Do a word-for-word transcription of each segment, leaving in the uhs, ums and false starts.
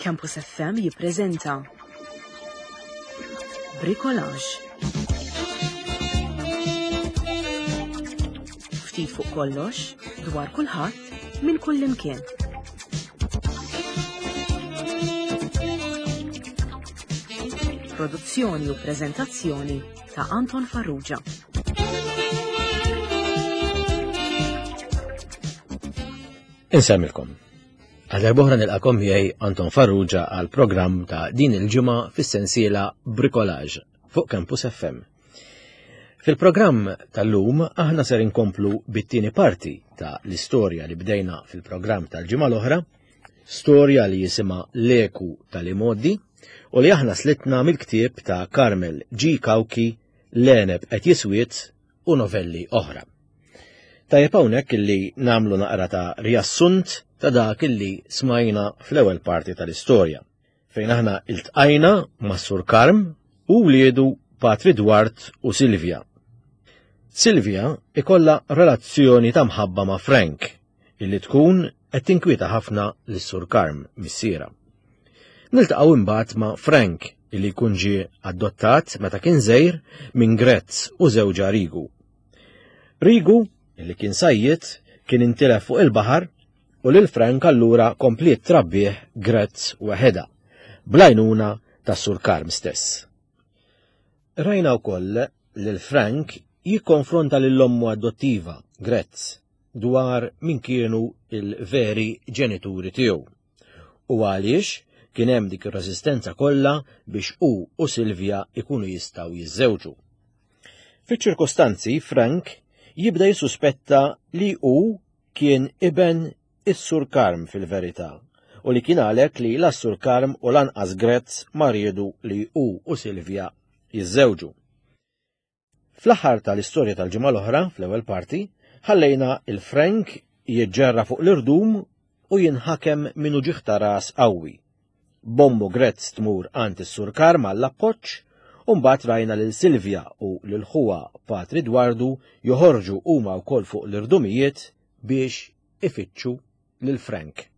Campus F M jippreżenta Bricolage. Ftit fuq kollox, dwar kulħadd, minn kull imkien. Produzzjoni u preżentazzjoni ta' Anton Farrugia. Insemmilkom. Għal darb'oħra nilqakom miegħi Anton Farrugia għal programm ta' din il-ġimgħa fis-sensiela Bricolage fuq Campus F M. Fil-programm tal-lum aħna ser inkomplu bit-tieni parti ta' l-istorja li bdejna fil-programm tal-ġimgħa l-oħra, storja li jisimha L-Eku tal-Imgħoddi u li aħna slitna mill-ktieb ta' Carmel G. Cauchi, L-Għeneb qed jiswiet u novelli oħra. Tajjeb hawnhekk illi nagħmlu naqra ta' riassunt ta' dak illi smajna fl-ewwel parti tal-istorja, fejn aħna iltqajna ma' Sur Karm u wliedu Patri Dwart u Silvia. Silvia ikollha relazzjoni ta' mħabba ma' Frank, illi tkun qed tinkwieta ħafna lis-Sur Karm missiera. Niltaqgħu imbagħad ma' Frank, illi jkun ġie adottat meta kien żgħir minn Grezz u żewġha Rigu. Rigu, illi kien sajjied, kien intilef fuq il-baħar u lil Frank allura kompliet trabbih Grezz weħeda, bl-għajnuna tas-Sur Karm stess. Rajna wkoll lil Frank jikkonfronta lil ommu adottiva, Grezz, dwar min kienu il-veri ġenituri tiegħu u għaliex kien hemm dik ir-reżistenza kollha biex hu u Silvia ikunu jistgħu jiżżewġu. Fiċ-ċirkostanzi Frank jibda jissuspetta li hu kien iben is-Sur Karm fil-verità u li kien għalhekk li la s-Sur Karm u lanqas Grezz ma riedu li hu u Silvia jiżżewġu. Fl-aħħar tal-istorja tal-ġimgħa l-oħra, fl-ewwel parti, ħallejna il-Frank jiġġerra fuq l-irdum u jinħakem minn uġigħ ta' ras qawwi. Bommu Grezz tmur għand is-Sur Karm għall-appoġġ u mbagħad rajna lil Silvia u lil ħuha Patri Dwardu joħorġu huma wkoll fuq l-irdumijiet biex ifittxu lil Frank.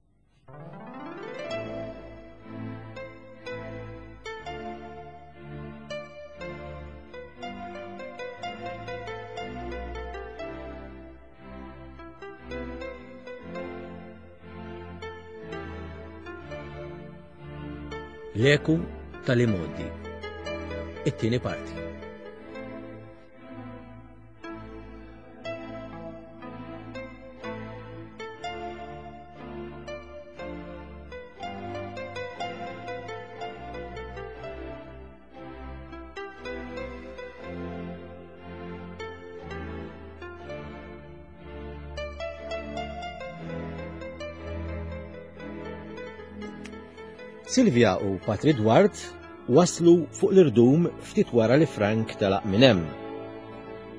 L-eku tal-imgħoddi. It-tieni parti. Silvia u Patri Dwart waslu fuq l-irdum ftit wara li Frank telaq minn hemm.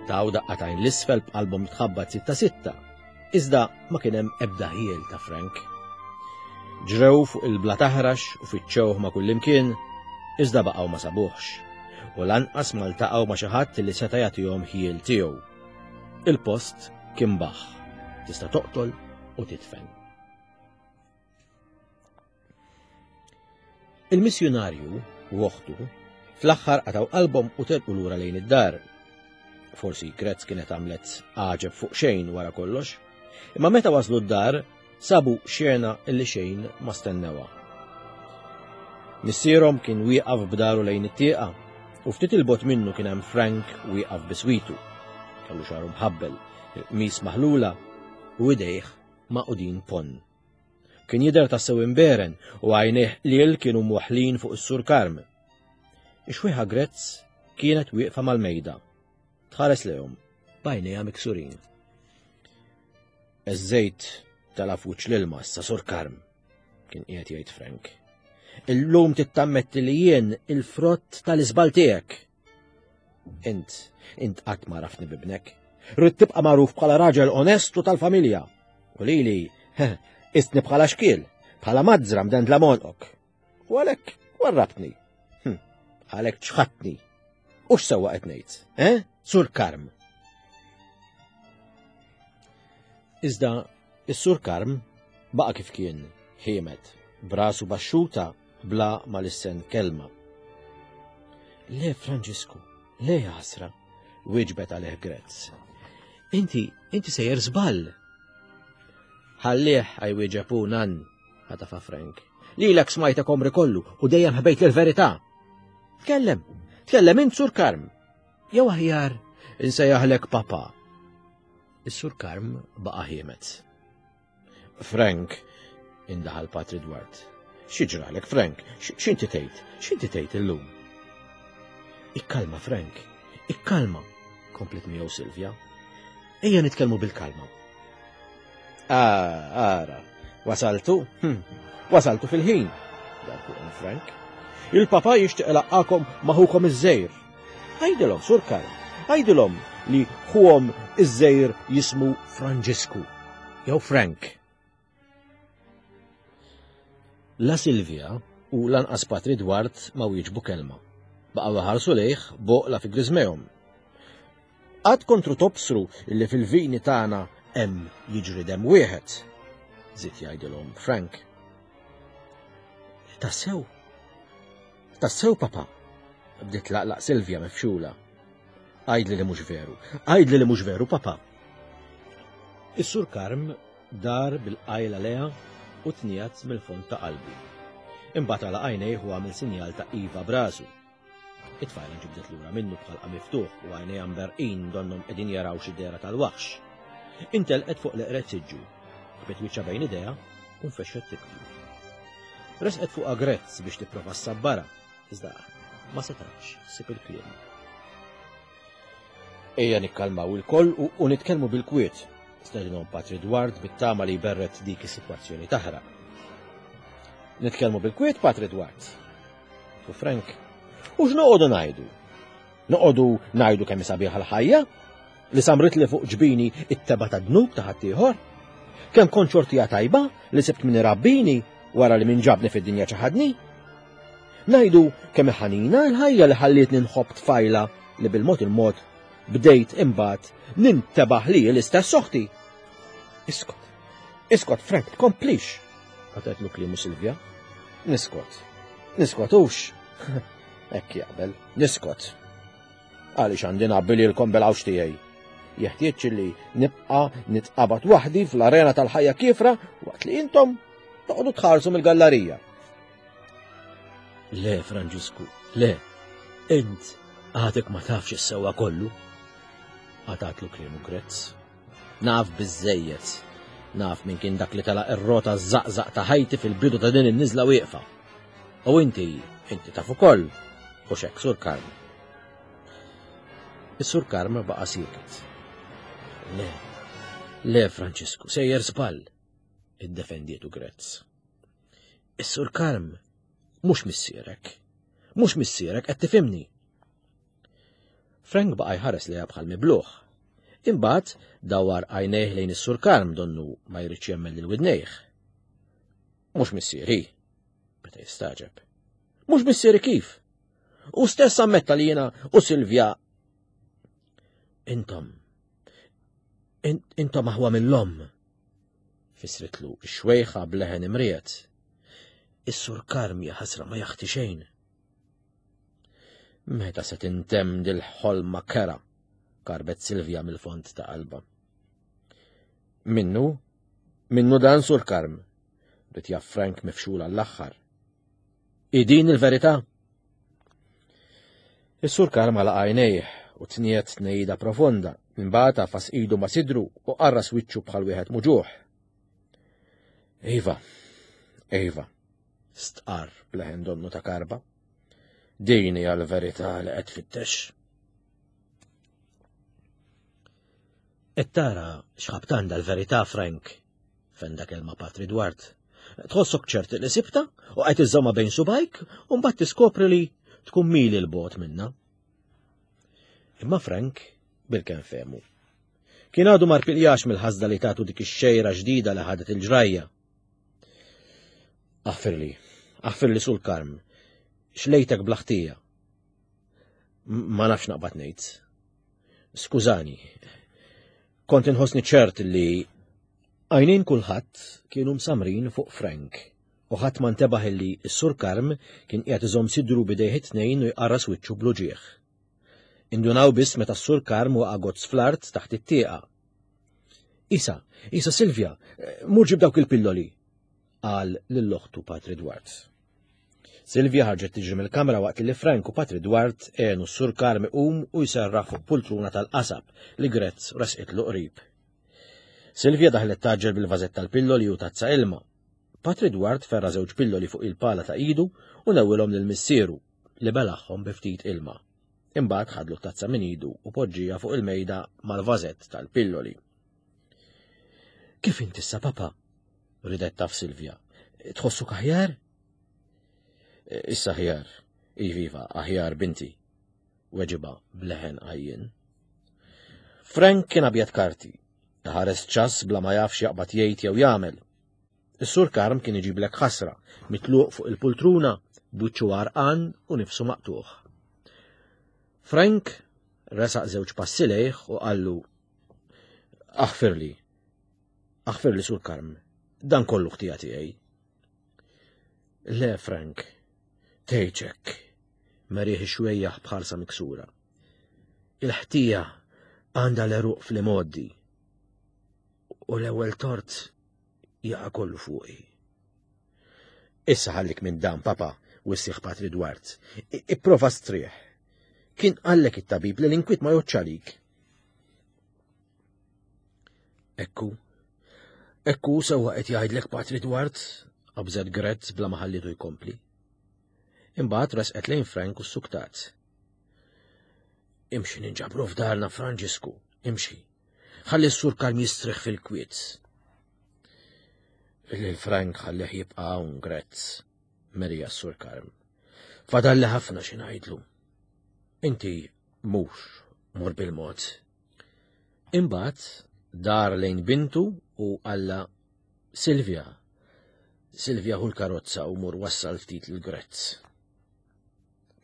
Taw daqqatajn l-isfel b'qalbhom tħabbat sitta sitta, iżda ma kien hemm ebda ħiel ta' Frank. Ġrew fuq il-bla taħrax u fittxewh ma' kullimkien, iżda baqgħu ma sabuhx, u lanqas ma ltaqgħu ma' xi ħadd li seta' jagħtihom ħiel tiegħu. Il-post kien baħħ, tista' toqtol u titfen. Il-missjunarju u oħtu fl-aħħar qatgħu qalbhom u telqu lura lejn id-dar. Forsi Grezz kienet għamlet għaġeb fuq xejn wara kollox, imma meta waslu d-dar sabu xena illi xejn ma stennewha. Missierhom kien wieqaf b'daru lejn it-tieqa u ftit il-bogħod minnu kien hemm Frank wieqaf biswitu. Kellu xagħru mħabbel, il-qmis maħlula u idejh maqudin ponn. Kien jidher tassew imberen u għajnejh qliel kienu mwaħħlin fuq is-Sur Karm. Ix-xwieħa Grezz kienet wieqfa mal-mejda. Tħares lejhom b'għajnejha miksurin. Iż-żejt tela' f'wiċċ l-ilma issa Sur Karm, kien qiegħed jgħid Frank. Illum tittammetti li jien il-frott tal-iżbal tiegħek. Int, int qatt ma rafni bibnek. Rrid tibqa' magħruf bħala raġel onest u tal-familja. U lili, istni bħala xkiel, bħala mazzra mdendla monqok. U għalhekk warrabtni. Hm, għalhekk ċħatni. U x'sewwa qed ngħid, eh? Sur Karm. Iżda is-Sur Karm baqa' kif kien, ħiemed, brasu baxxuta bla ma lissen kelma. Le, Franġisku, le ħasra, wieġbet għalih Grezz. Inti, inti sejjer żball. Ħallih għajwieġeb hu nan, ħatafa Frank. Lilek smajtek omri kollu u dejjem ħbejt il-verità. Tkellem, tkellem int Sur Karm. Jew aħjar, insejjaħlek papa. Is-Sur Karm baqa' ħiemet. Frank, indaħal Patri Dwart. Xi ġralek, Frank? X'inti tgħid? X'inti tgħid illum? Ikkalma, Frank, ikkalma, komplet miegħu Silvia. Ejja nitkellmu bil-kalma. Ah, ara, wasaltu? Hm, wasaltu fil-ħin, dar fuqhom Frank. Il-papa jixtieq ilaqqakom ma' ħukom iż-żejr. Għidilhom, Sur Karm, għidilhom li ħuhom iż-żejr jismu Franġisku, jew Frank. La Silvia u lanqas Patri Dwart ma wieġbu kelma. Baqgħu ħarsu lejh boqla fi griżmejhom. Qatt kontru tobsru illi fil-vini tagħna hemm jiġri dem wieħed, żied jgħidilhom Frank. Tassew? Tassew, papa? Bdiet laqlaq Silvia mifxula. Għidli li mhux veru. Għidli li mhux veru, papa. Is-Sur Karm dar bil-qajla leha u tniegħed mill-fond ta' qalbu. Imbagħad għalaq għajnejh u għamel sinjal ta' iva b'rasu. It-tfajla nġibdet lura minnu b'ħalqa miftuħ u għajnejha mberqin donnhom qegħdin jaraw xi dehra tal-waħx. Intelqet fuq l-eqred siġġu, ħbet wiċċha bejn idejha u nfexxet tibki. Resqet fuqha Grezz biex tipprova ssabbarha, iżda ma setgħetx ssib il-kliem. Ejja nikkalmaw ilkoll u, u nitkellmu bil-kwiet, stedinhom Patri Dward bit-tama li jberred dik is-sitwazzjoni taħraq. Nitkellmu bil-kwiet, Patri Dward. U Frank, u x'noqogħdu ngħidu? Noqogħdu ngħidu kemm sabiħa l-ħajja? Li samrit li fuq ġbini it-teba ta' dnub ta' ħaddieħor? Kemm kont xortija tajba li sibt min irabbini wara li min ġabni fid-dinja ċaħadni? Ngħidu kemm ħanina l-ħajja li ħallietni nħobb tfajla li bil-mod il-mod bdejt imbagħad nintebaħ li l-istess oħti. Iskot, iskot Frank, tkomplix. Qatgħetlu kliemu Silvia. Niskot, niskot hux. Hekk jaqbel, niskot. Għaliex għandi nabbi lilkom bil-għawx tiegħi. Jeħtieġ li nibqa' nitqabad waħdi fl-arena tal-ħajja kiefra waqt li intom toqgħodu tħarsu mill-gallarija. Le, Franġisku, le. Int għadek ma tafx is-sewwa kollu. Qatgħatlu kliemu Grezz. Naf biżżejjed. Naf min kien dak li telaq ir-rota żaqżaq ta' ħajti fil-bidu ta' din in-niżla wieqfa. U inti, inti taf ukoll, u xek, Sur Karm. Is-Sur Karm baqa' sieket. Le, le, Franċisku, sejjer żball, iddefendietu Grezz. Is-Sur Karm mhux missierek. Mhux missierek, qed tifhimni. Frank baqa' jħares lejha bħal mibluħ. Imbagħad dawar għajnejh lejn is-Sur Karm donnu ma jridx jemmen lil widnejh. Mhux missieri, beda jistaġeb. Mhux missieri kif? U stess ammetta li jiena u Silvia. Intom, intom aħwa mill-omm, fissritlu x-xwejħa b'leħen imriet. Is-Sur Karm ja ħasra ma jaħti xejn. Meta se tintemm dil-ħolma kera, karbet Silvia mill-fond ta' qalba. Minnu, minnu dan Sur Karm, rid jaf Frank mifxul għall-aħħar. Idin il-verità? Is-Sur Karm għalaq għajnejh u tniet tnejda profonda, imbagħad għafas idu ma' sidru u qarras wiċċu bħal wieħed muġuħ. Iva, iva, stqarr b'leħen donnu ta' karba. Din hija l-verità li qed tfittex. Qed tara x'ħabt għandha l-verità, Frank, fenda kelma Patri Dwart. Tħossok ċert li sibta u qed iżżomma bejn subajk u mbagħad tiskopri li tkun mili l-bogħod minna. Imma Frank bil-kemm fehmu. Kien għadu ma rpiljax mill-ħasda li tagħtu dik ix-xejra ġdida li ħadet il-ġrajja. Aħfirli, aħfirli sul Karm, xlejtek bl-ħtija. Ma nafx naqbad ngħid. Skużani. Kont inħossni ċert li għajnejn kulħadd kienu msamrin fuq Frank U ħadd ma ntebaħ illi s-Sur Karm kien qiegħed iżomm sidru b'idejh it-tnejn u jqarras wiċċu bl-uġigħ. Indunaw biss meta s-Sur Karm waqa' gozz fl-art taħt it-tieqa. Isa, Isa Silvia, mur ġib dawk il-pilloli, qal lil oħtu Patri Dwart. Silvia ħarġet tiġri mill-kamra waqt li Frank u Patri Dwart għenu s-Sur Karm iqum u jserraħ fuq pultruna tal-qasab li Grezz resqitlu qrib. Silvia daħlet taġġel bil-vażett tal-pilloli u tazza ilma. Patri Dwart ferra żewġ pilloli fuq il-pala ta' idu u newwilhom lil missieru li belaħħom bi ftit ilma. Imbagħad ħadlu tazza minn idu u poġġija fuq il-mejda mal-vażett tal-pilloli. Kif inti issa, papa? Ridet taf Silvia. Tħossuk aħjar? Issa aħjar. Iviva, aħjar binti. Weġiba bleħen għajjien. Frank kien abjad karti. Ħares ċas bla ma jafx jaqbad jgħid jew jagħmel. Is-Sur Karm kien iġiblek ħasra, mitluq fuq il-pultruna, b'wiċċu għarqan u nifsu maqtuħ. Frank resaq żewġ passi lejh u qallu: Aħfirli, aħfirli Sur Karm, dan kollu ħtija tiegħi. Le, Frank, tgħidx, merih xwejjaħ bħarsa miksura. Il-ħtija għandha l-għeruq fl-imgħoddi u l-ewwel tort jaqa' kollu fuqi. Issa ħallik minn dan, papa, wissieh Patri Dwart. Ipprova strieħ. Kien qallek it-tabib li l-inkwiet ma jgħoddx għalik. Ekku, ekku sewwa qed jgħidlek Patri Dwart, qabżet Grezz bla ma ħallitu jkompli. Imbagħad resqet lejn Frank u suktat. Imxi ninġabru f'darna Franġisku, imxi. Ħalli s-Sur Karm jistrieħ fil-kwiet. Lil Frank ħallih jibqa' hawn Grezz, merija s-Sur Karm. Fadalli ħafna xi ngħidlu. Inti mhux mur bil-mod. Imbagħad dar lejn bintu u qalla Silvia. Silvia hu l-karozza u mur wassal ftit lil Grezz.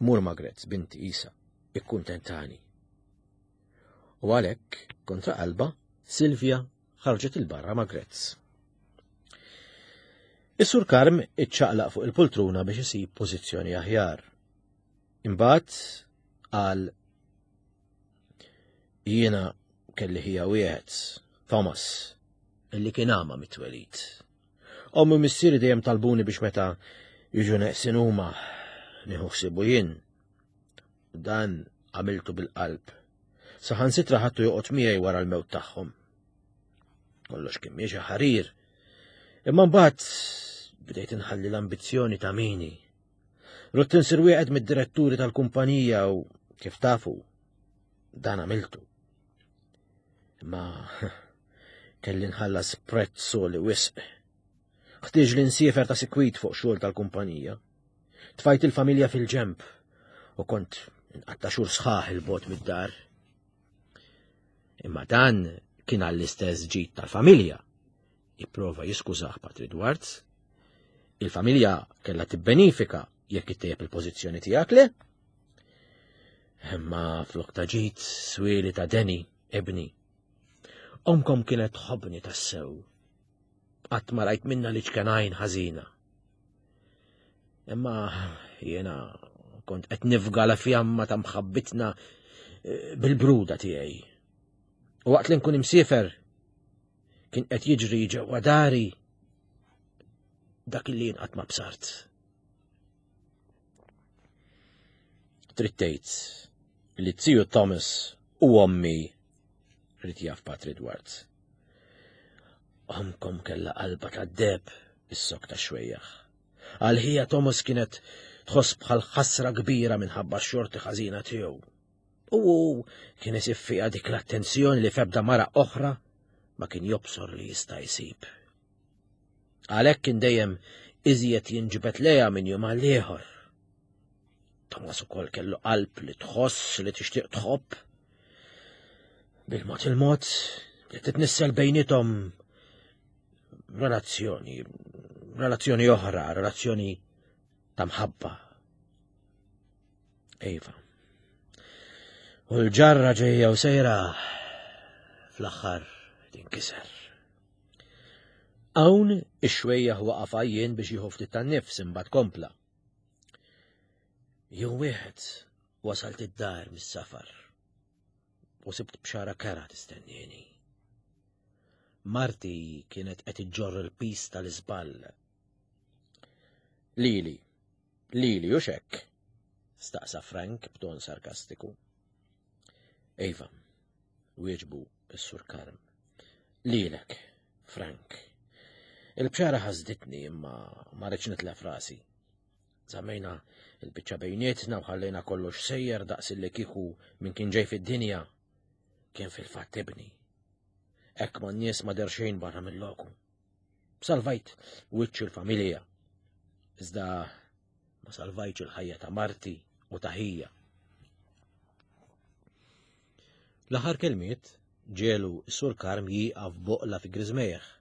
Mur ma' Grezz, binti Isa, ikkuntentani. U għalhekk, kontra qalba, Silvia ħarġet il-barra ma' Grezz. Is-Sur Karm iċċaqlaq fuq il-pultruna biex isib pożizzjoni aħjar. Imbagħad qal jiena kelli ħija wieħed, Thomas, illi kien għama mit-twelid. Ommi missieri dejjem talbuni biex meta jiġu neqsin huma nieħu ħsiebu jien. Dan għamiltu bil-qalb. Saħansitra ħadtu joqgħod miegħi wara l-mewt tagħhom. Kollox kien miexi ħarir. Imma mbagħad bdejt inħalli l-ambizzjoni ta' mini. Rott insir wieħed mid-diretturi tal-kumpanija u kif tafu, dan għamiltu. Imma kelli nħallas prezz li wisq. Ħtieġ li nsiefer ta' sikwit fuq xogħol tal-kumpanija. Tfajt il-familja fil-ġemp u kont nqatta' xhur sħaħ il-bogħod mid-dar. Imma dan kien għall-istess ġid tal-familja. Ipprova jiskużah Patri Dwart. Il-familja kellha tibbenifika jekk ittejjeb il-pożizzjoni tiegħek le? Imma flok ta' ġid swieli ta' deni, ibni. Omkom kienet tħobbni tassew. Qatt ma rajt minna li ċkenajn ħażina. Imma jiena kont qed nifga la fjamma ta' mħabbitna bil-bruda tiegħi. U waqt li nkun imsiefer kien qed jiġri ġewwa dari dak li jien qatt ma bsart. Trid tgħid li t-tiju Thomas u ommi rrid jaf Patri Dwart. Omkom kellha qalba tad-deheb is-sok ta' xwejjaħ. Għal ħija Thomas kienet tħoss bħal ħasra kbira minħabba x-xorti ħażina tiegħu. U hu kien isib fiha dik l-attenzjoni li f'ebda mara oħra ma kien jobsor li jista' jsib. Għalhekk kien dejjem iżjed jinġibed lejha minn jum għal ieħor. Thomas ukoll kellu qalb li tħoss li tixtieq tħobb. Bil-mod il-mod li titnissel bejnietom relazzjoni, relazzjoni oħra, relazzjoni ta' mħabba. Ejva. U l-ġarra ġejja u sejra fl-aħħar tinkiser. Hawn ix-xwejjaħ waqaf għajjien biex jieħu ftit tan-nifs imbagħad kompla. Jum wieħed wasalt id-dar mis-safar u sibt bxara kera tistennieni. Marti kienet qed iġġorr il-pis tal-iżball. Lili, lili u xekk, staqsa Frank b'ton sarkastiku. Iva, wieġbu s-Sur Karm. Lilek, Frank. Il-bxara ħasditni imma ma rridx nitlef rasi. Żammejna il-biċċa bejnietna u ħallejna kollox sejjer daqs li kieku min kien ġej fid-dinja kien fil-fatt ibni. Hekk ma n-nies ma der xejn barra mill-loku. Salvajt wiċċ il-familja. Iżda ma salvajtx il-ħajja ta' marti u ta' ħija. L-aħħar kelmiet ġelu s-Sur Karm jieqaf boqla fi griżmejh.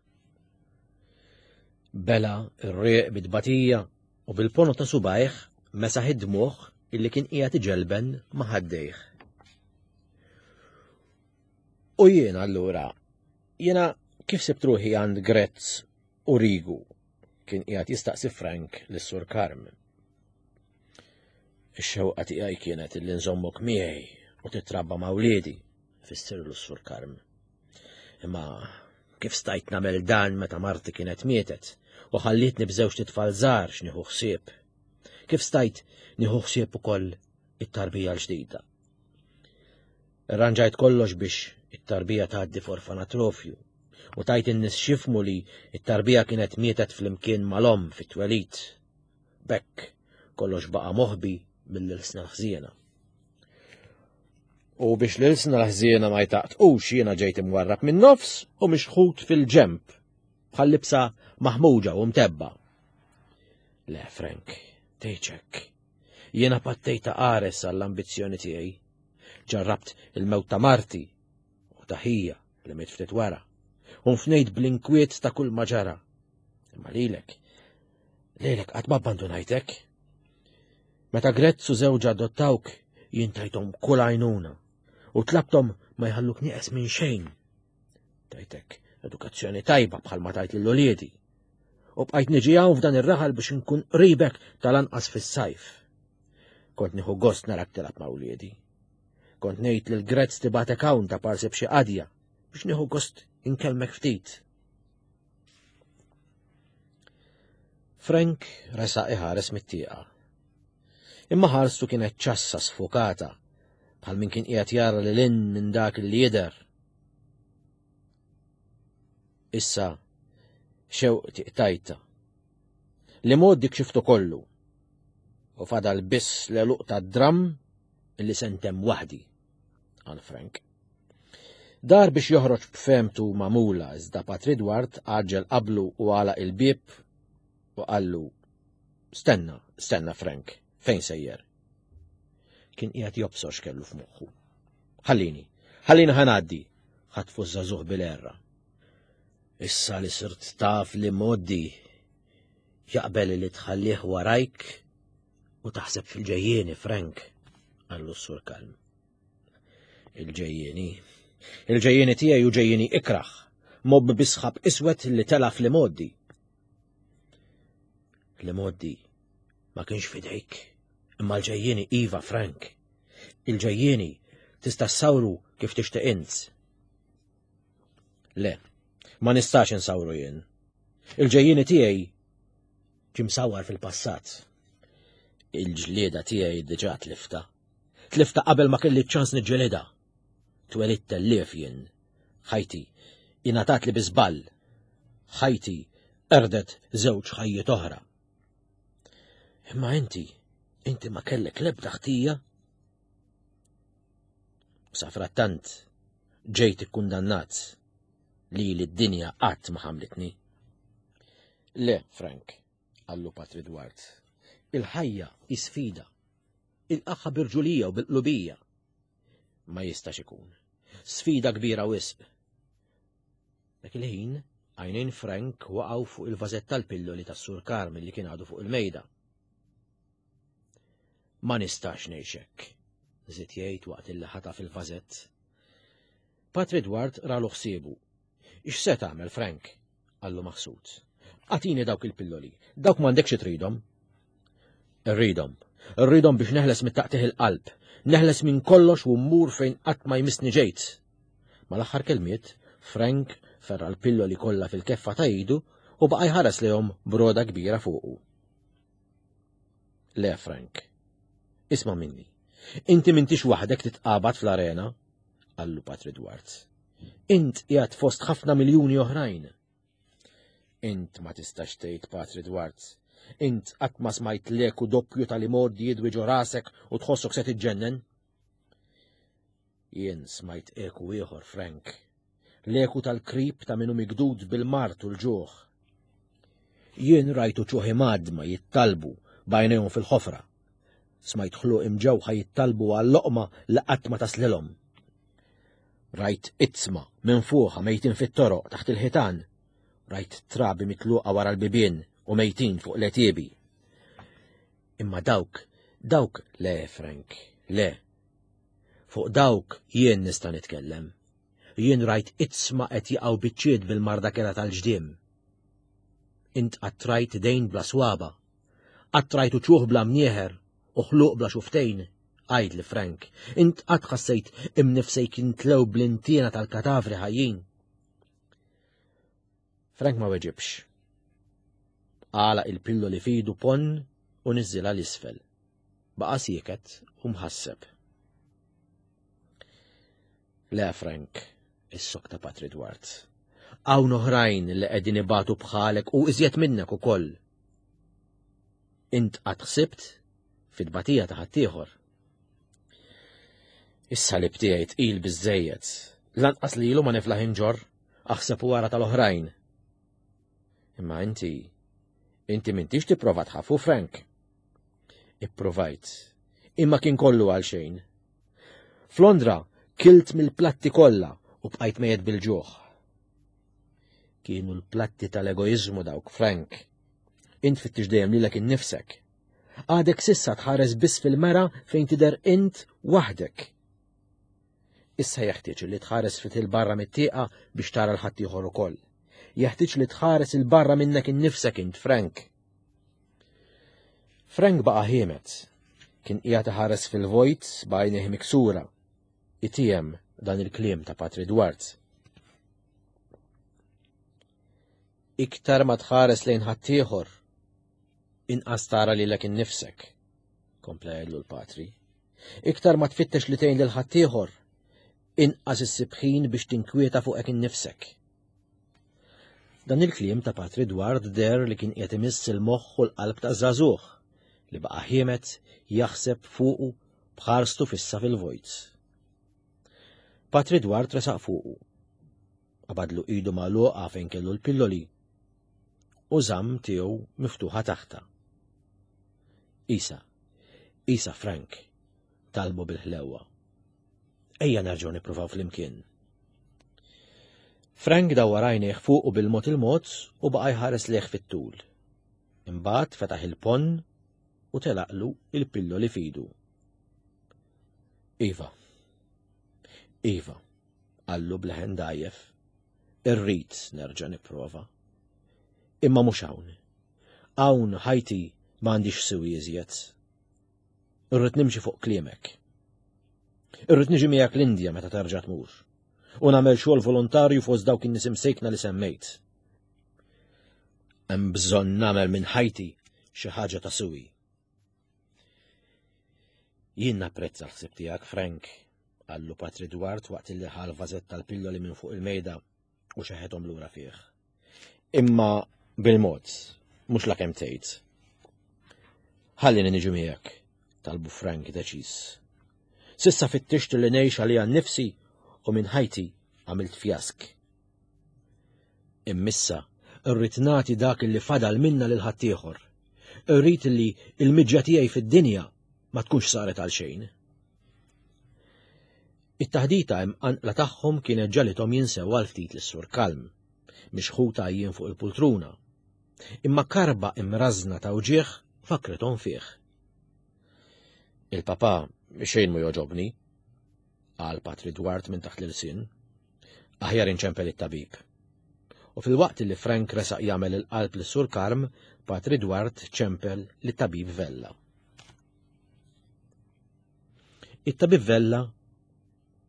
Bela r-rieq bit-tbatija u bil-pono ta' subajh mesaħ id-dmugħ illi kien qiegħed iġelben ma' ħaddejh. U jiena allura, jiena kif sibt ruħi għand Grezz u Rigu, kien qiegħed jistaqsi Frank lis-Sur Karm. Ix-xewqa tiegħi kienet illi nżommok miegħi u titrabba ma' wliedi, fissirlu s-Sur Karm. Imma kif stajt nagħmel dan meta marti kienet mietet u ħallietni b'żewġ titfal żgħar x'nieħu ħsieb? Kif stajt nieħu ħsieb ukoll it-tarbija l-ġdida? Irranġajt kollox biex it-tarbija tgħaddi f'orfanatrofju u tajt in-nies xifmu li it-tarbija kienet mietet flimkien mal-omm fit-twelid. B'hekk kollox baqa' moħbi mill-ilsna l-ħżiena. U biex l-ilsna l-ħżiena ma jtaqtqux jiena ġejt imwarrab min-nofs u mixħut fil-ġemp bħal libsa maħmuġa u mtebba. Le, Frank, tgħidx. Jiena pattejta qares għall-ambizzjoni tiegħi. Ġarrabt il-mewt ta' marti u ta' ħija li miet ftit wara. U nfnejt bl-inkwiet ta' kull ma ġara. Imma lilek, lilek qatt ma abbandunajtek. Meta Grezz u żewġha adottawk, jien tajthom kull għajnuna u tlabthom ma jħalluk nieqes minn xejn. Tajtek edukazzjoni tajba bħalma tajt lil uliedi. U bqajt niġi hawn f'dan ir-raħal biex inkun qribek tal-anqas fis-sajf. Kont nieħu gost narak tilgħab ma' uliedi. Kont ngħid lil Grezz tibatek hawn ta' parsi b'xi qadja biex nieħu gost inkellmek ftit. Frank resaq iħares mit-tieqa. Imma ħarstu kienet ċassa sfokata bħal min kien qiegħed jara lil hinn minn dak li jidher. Issa xewqti qtajta. Li mod dik xiftu kollu. U fadal biss l-għeluq tad-dram illi sentem waħdi, qal Frank. Dar biex joħroġ b'fehmtu magħmula iżda Patri Edward għaġġel qablu u għalaq il-bieb u qallu stenna, stenna Frank, fejn sejjer? Kien qiegħed jobsor x'kellu f'moħħu. Ħallini, ħallini ħanaddi, ħatfu ż-żagħżugħ bil-erra. Issa li sirt taf li moddi jaqbel li tħallih warajk u taħseb fil-ġejjieni, Frank, qallu s-Sur Kalm. Il-ġejjieni, il-ġejjieni tiegħi u ġejjieni ikraħ, mobb bisħab iswed li tela' fl-imoddi. L-imoddi ma kienx fidejk, imma l-ġejjieni iva, Frank. Il-ġejjieni tista' ssawru kif tixtieq int. Le, ma nistax insawru jien. Il-ġejjieni tiegħi ġie msawwar fil-passat. Il-ġlieda tiegħi diġà tlifta. Tlifta qabel ma kelli ċans niġġelida. Twelidt tellief jien. Ħajti ingħatat li bi żball. Ħajti qerdet żewġ ħajjiet oħra. Imma inti, inti ma kellek l-ebda ħtija. Safrattant ġejt ikkundannat li li d-dinja qatt ma ħamlitni. Le, Frank, qallu Patri Edward, il-ħajja hi sfida. Il-qaħħa birġulija u bil-qlubija. Ma jistax ikun. Sfida kbira wisq. Dak il-ħin, għajnejn Frank waqgħu fuq il-vażett tal-pilloli tas-Sur Karm li kien għadu fuq il-mejda. Ma nistax ngħix hekk, żied jgħid waqt illi ħataf il-vażett. Patri Edward ralu ħsiebu. X'se tagħmel, Frank? Qallu maħsud. Agħtini dawk il-pilloli, dawk m'għandekx tridhom. Irridhom, irridhom biex neħles mit-taqtigħ il-qalb, neħles minn kollox u mmur fejn qatt ma jmissni ġejt. Mal-aħħar kelmiet, Frank ferra l-pilloli kollha fil-keffa ta' idu u baqa' jħares lejhom b'rogħda kbira fuqu. Le, Frank, isma' minni. Inti m'intix waħdek titqabad fl-arena, qallu Patri Dwart. Int qiegħed fost ħafna miljuni oħrajn. Int ma tistax tgħid, Patri Dwart. Int qatt ma smajt l-eku doppju tal-imgħoddi jidwi ġo rasek u tħossok se tiġġennen. Jien smajt eku ieħor, Frank. L-eku tal-krib ta' min hu mikdud bil-mard u l-ġuħ. Jien rajtu uċuħ imgħaddma jittalbu b'għajnejhom fil-ħofra. Smajt ħluq imġewħa jittalbu għal-loqma li qatt ma taslilhom. Rajt iġsma minfuħa mejtin fit-toroq taħt il-ħitan. Rajt trabi mitluqa wara l-bibien u mejtin fuq l-għetiebi. Imma dawk, dawk le, Frank, le. Fuq dawk jien nista' nitkellem. Jien rajt iġsma qed jaqgħu biċċiet bil-marda kerha tal-ġdiem. Int qatt rajt idejn bla swaba'. Qatt rajt uċuħ bla mnieħer u ħluq bla xuftejn. Għidli, Frank, int qatt ħassejt imnifsejk jintlew bl-intiena tal-katavri ħajjin. Frank ma weġibx. Għalaq il-pilloli f'idu ponn u niżżilha 'l isfel. Baqa' sieket u mħasseb. Le, Frank, issokta Patri Dwart. Hawn oħrajn li qegħdin ibatu bħalek u iżjed minnek ukoll. Int qatt ħsibt fit-tbatija ta' ħaddieħor. Is-salib tiegħi tqil biżejjed. Lanqas lilu ma niflaħ inġorr, aħseb wara tal-oħrajn. Imma inti, inti m'intix tipprova tħaffu, Frank. Ipprovajt, imma kien kollu għal xejn. F'Londra kilt mill-platti kollha u bqajt mejjet bil-ġuħ. Kienu l-platti tal-egoizmu dawk, Frank. Int fittix dejjem lilek innifsek. Għadek s'issa tħares biss fil-mera fejn tidher int waħdek. Issa jeħtieġ li tħares ftit 'il barra mit-tieqa biex tara 'l ħaddieħor ukoll. Jeħtieġ li tħares 'il barra minnek innifsek int, Frank. Frank baqa' ħiemet. Kien qiegħed iħares fil-vojt b'għajnejh miksura. Itiegħem dan il-kliem ta' Patri Dwart. Iktar ma tħares lejn ħaddieħor, inqas tara lilek innifsek, kompla jgħidlu l-Patri. Iktar ma tfittex li tgħin lil ħaddieħor, inqas issib ħin biex tinkwieta fuqek innifsek. Dan il-kliem ta' Patri Dward deher li kien qiegħed imiss il-moħħ u l-qalb ta' żagħżugħ li baqa' ħiemet jaħseb fuqu b'ħarstu fissa fil-vojt. Patri Dward resaq fuqu. Qabadlu idu magħluqa fejn kellu l-pilloli u żamm tiegħu miftuħa taħta. Isa, Isa Frank, talbu bil-ħlewwa. Ejja nerġgħu nippruvaw flimkien. Frank dawwar għajnejh fuqu bil-mod il-mod u baqa' jħares lejh fit-tul. Imbagħad fetaħ il-ponn u telaqlu il-pilloli f'idu. Iva, Iva, qallu b'leħen dgħajjef, irrid nerġa' nipprova. Imma mhux hawn. Hawn ħajti m'għandix siwi iżjed. Irrid nimxi fuq kliemek. Irrid niġi miegħek l-Indja meta terġa' tmur. U nagħmel xogħol volontarju fost dawk in-nies imsejkna li semmejt. Hemm bżonn nagħmel minn ħajti xi ħaġa ta' siwi. Jien napprezza l-ħsieb tiegħek, Frank, qallu Patri Dwart waqt li ħa l-vażett tal-pilloli minn fuq il-mejda u xeħethom lura fih. Imma bil-mod, mhux la kemm tgħid. Ħallini niġi miegħek, talbu Frank deċiż. S'issa fittixt li ngħix għalija nnifsi u minn ħajti għamilt fjask. Imma issa rrid nagħti dak li fadal minna lil ħaddieħor. Irrid li l-miġja tiegħi fid-dinja ma tkunx saret għal xejn. It-taħdita imqanqla tagħhom kienet ġagħlithom jinsew għal ftit lis-Sur Kalm, mixħut għajjien fuq il-pultruna. Imma karba imrażna ta' wġigħ fakkrithom fih. Il-papa xejn mu joġobni, qal Patri Dwart minn taħt l-ilsien. Aħjar inċempel it-tabib. U filwaqt li Frank resaq jagħmel il-qalb lis Sur Karm, Patri Dward ċempel lit-tabib Vella. It-tabib Vella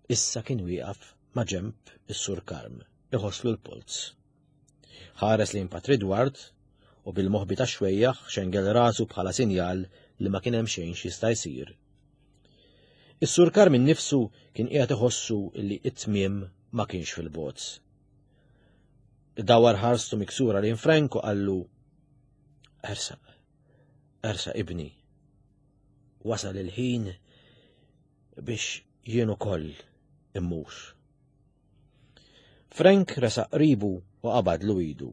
issa kien wieqaf ma' ġemb is-Sur Karm, iħosslu l-polz. Ħares lejn Patri Dward u bil-moħbi ta' xwejjaħ xengel rasu bħala sinjal li ma kien hemm xejn x'jista' jsir. Is-Sur Karm innifsu kien qiegħed iħossu li t-tmiem ma kienx fil-bogħod. Dawar ħarstu miksura lejn Frank u qallu: "Ersaq, ersaq ibni. Wasal il-ħin biex jien ukoll immur." Frank resaq qribu u qabadlu idu.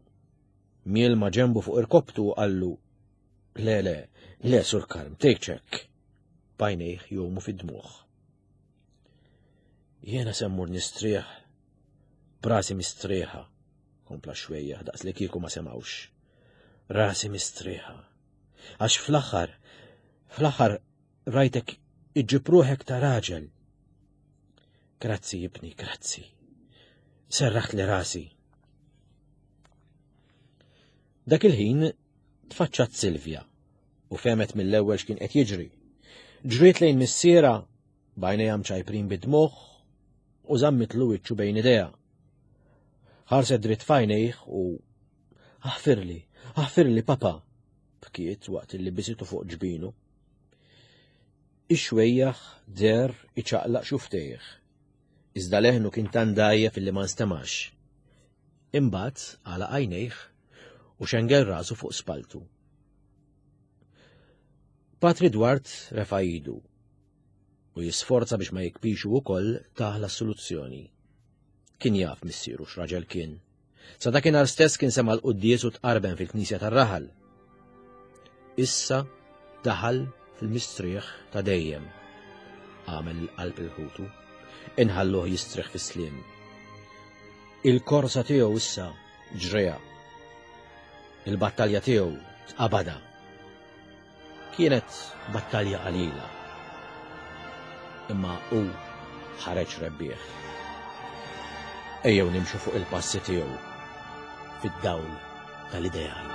Miel ma' ġembu fuq irkoptu u qallu: "Le, le, le, Sur Karm, tgħidx hekk." B'għajnejh jgħumu fid-dmugħ. "Jiena se mmur nistrieħ b'rasi mistrieħa," kompla xwejjaħ daqs li kieku ma semgħux. "Rasi mistrieħa. Għax fl-aħħar, fl-aħħar rajtek iġġib ruħek ta' raġel. Grazzi, ibni, grazzi. Serraħt li rasi." Dak il-ħin tfaċċat Silvia u fehmet mill-ewwel x'kien qed jiġri. Ġriet lejn missiera b'għajnejha mċajprin bid-dmugħ u żammitlu wiċċu bejn idejha. Ħarset dritt f'għajnejh u "Aħfirli, aħfirli papa," bkiet waqt li bisitu fuq ġbinu. Ix-xwejjaħ deher iċaqlaq xuftejh. Iżda leħnu kien tant dgħajjef illi ma nstemax. Imbagħad għalaq għajnejh u xengel rasu fuq spaltu. Patri Dward refa' idu u jisforza biex ma jikbixu wkoll taħla soluzzjoni. Kien jaf missieru x'raġel kien. Sa dakinhar stess kien sema' l-quddies u tqarben fil-knisja tar-raħal. Issa daħal fil-mistrieħ ta' dejjem. Għamel il-qalb il-ħutu, inħalluh jistrieħ fis-sliem. Il-korsa tiegħu issa ġreha. Il-battalja tiegħu tqabada. Kienet battalja qalila. Imma hu ħareġ rebbieħ. Ejjew nimxu fuq il-passi tiegħu fid-dawl tal-ideal.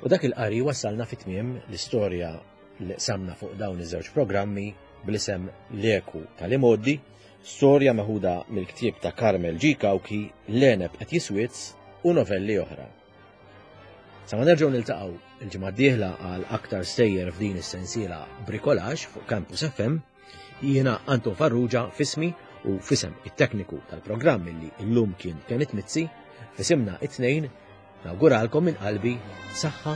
U dak il-qari wassalna fi tmiem l-istorja li qsamna fuq dawn iż-żewġ programmi bl-isem L-Eku tal-Imgħoddi, storja meħuda mill-ktieb ta' Carmel G. Cauchi, L-Għeneb qed jiswiz u novelli oħra. Sa ma nerġgħu niltaqgħu il-ġimgħa d-dieħla għal aktar stejjer f'din is-sensiela Bricolage fuq Campus F M, jiena Anton Farrugia fismi u fisem it-tekniku tal-programm li llum kien Kenneth Mizzi, fisimna it-tnejn nawguralkom minn qalbi saħħa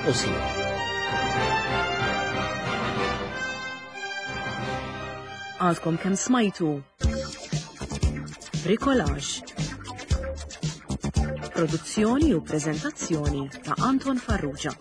u sliem. Għadkom kemm smajtu Bricolage. Produzzjoni u preżentazzjoni ta' Anton Farrugia.